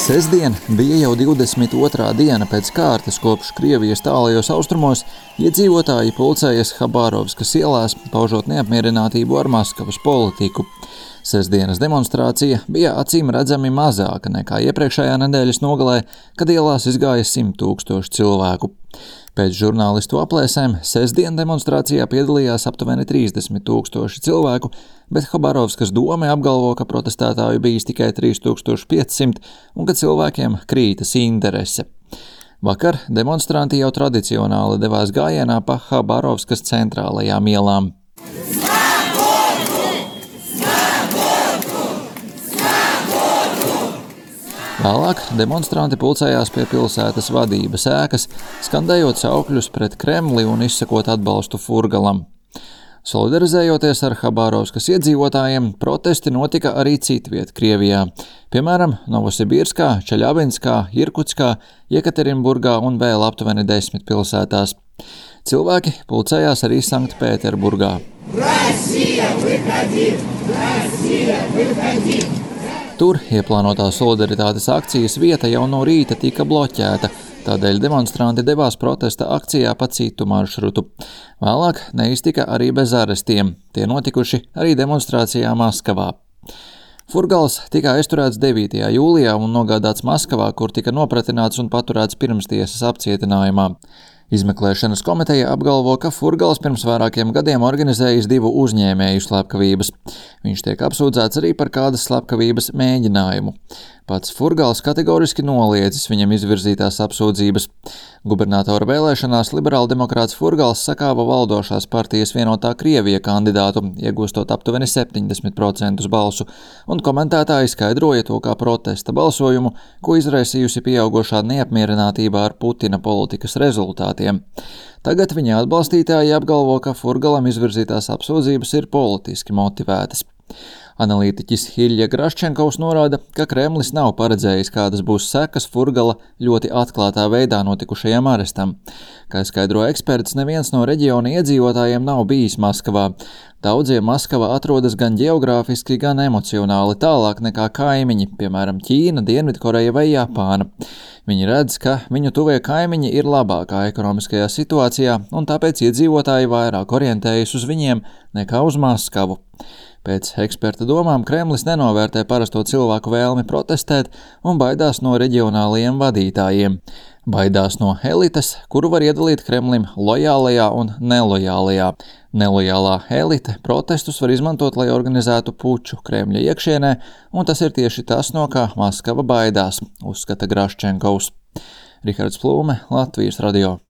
Sestdien bija jau 22. diena pēc kārtas, kopš Krievijas tālajos austrumos iedzīvotāji pulcējas Habārovskas ielās, paužot neapmierinātību ar Maskavas politiku. Sestdienas demonstrācija bija acīm redzami mazāka nekā iepriekšējā nedēļas nogalē, kad ielās izgāja 100 000 cilvēku. Pēc žurnālistu aplēsēm sestdien demonstrācijā piedalījās aptuveni 30 000 cilvēku, bet Habārovskas dome apgalvo, ka protestētāju bijis tikai 3500 un ka cilvēkiem krītas interese. Vakar demonstranti jau tradicionāli devās gājienā pa Habārovskas centrālajām ielām. Vēlāk demonstranti pulcējās pie pilsētas vadības ēkas, skandējot saukļus pret Kremli un izsakot atbalstu Furgalam. Solidarizējoties ar Habārovskas iedzīvotājiem, protesti notika arī citviet Krievijā, piemēram, Novosibirskā, Čeļabinskā, Irkutskā, Jekaterinburgā un vēl aptuveni 10 pilsētās. Cilvēki pulcējās arī Sanktpēterburgā. Tur ieplānotā solidaritātes akcijas vieta jau no rīta tika bloķēta, tādēļ demonstranti devās protesta akcijā pa citu maršrutu. Vēlāk neiztika arī bez arestiem, tie notikuši arī demonstrācijā Maskavā. Furgals tika aizturēts 9. jūlijā un nogādāts Maskavā, kur tika nopratināts un paturēts pirmstiesas apcietinājumā. Izmeklēšanas komiteja apgalvo, ka Furgals pirms vairākiem gadiem organizējis 2 uzņēmēju slepkavības. Viņš tiek apsūdzēts arī par kādas slepkavības mēģinājumu. Pats Furgals kategoriski noliedzis viņam izvirzītās apsūdzības. Gubernatora vēlēšanās liberāldemokrāts Furgals sakāva valdošās partijas Vienotā Krievija kandidātu, iegūstot aptuveni 70% balsu, un komentētāji skaidroja to kā protesta balsojumu, ko izraisījusi pieaugošā neapmierinātība ar Putina politikas rezultātiem. Tagad viņa atbalstītāji apgalvo, ka Furgalam izvirzītās apsūdzības ir politiski motivētas. Analītiķis Ilja Graščenkovs norāda, ka Kremlis nav paredzējis, kādas būs sekas Furgala ļoti atklātā veidā notikušajam arestam. Kā skaidro eksperts, neviens no reģiona iedzīvotājiem nav bijis Maskavā. Daudziem Maskava atrodas gan ģeogrāfiski, gan emocionāli tālāk nekā kaimiņi, piemēram, Ķīna, Dienvidkoreja vai Japāna. Viņi redz, ka viņu tuvie kaimiņi ir labākā ekonomiskajā situācijā, un tāpēc iedzīvotāji vairāk orientējas uz viņiem nekā uz Maskavu. Pēc eksperta domām Kremlis nenovērtē parasto cilvēku vēlmi protestēt un baidās no reģionālajiem vadītājiem. Baidās no elites, kuru var iedalīt Kremlim lojālajā un nelojālajā. Nelojālā elite protestus var izmantot, lai organizētu puču Kremļa iekšienē, un tas ir tieši tas, no kā Maskava baidās, uzskata Graščenkovs. Rihards Plūme, Latvijas radio.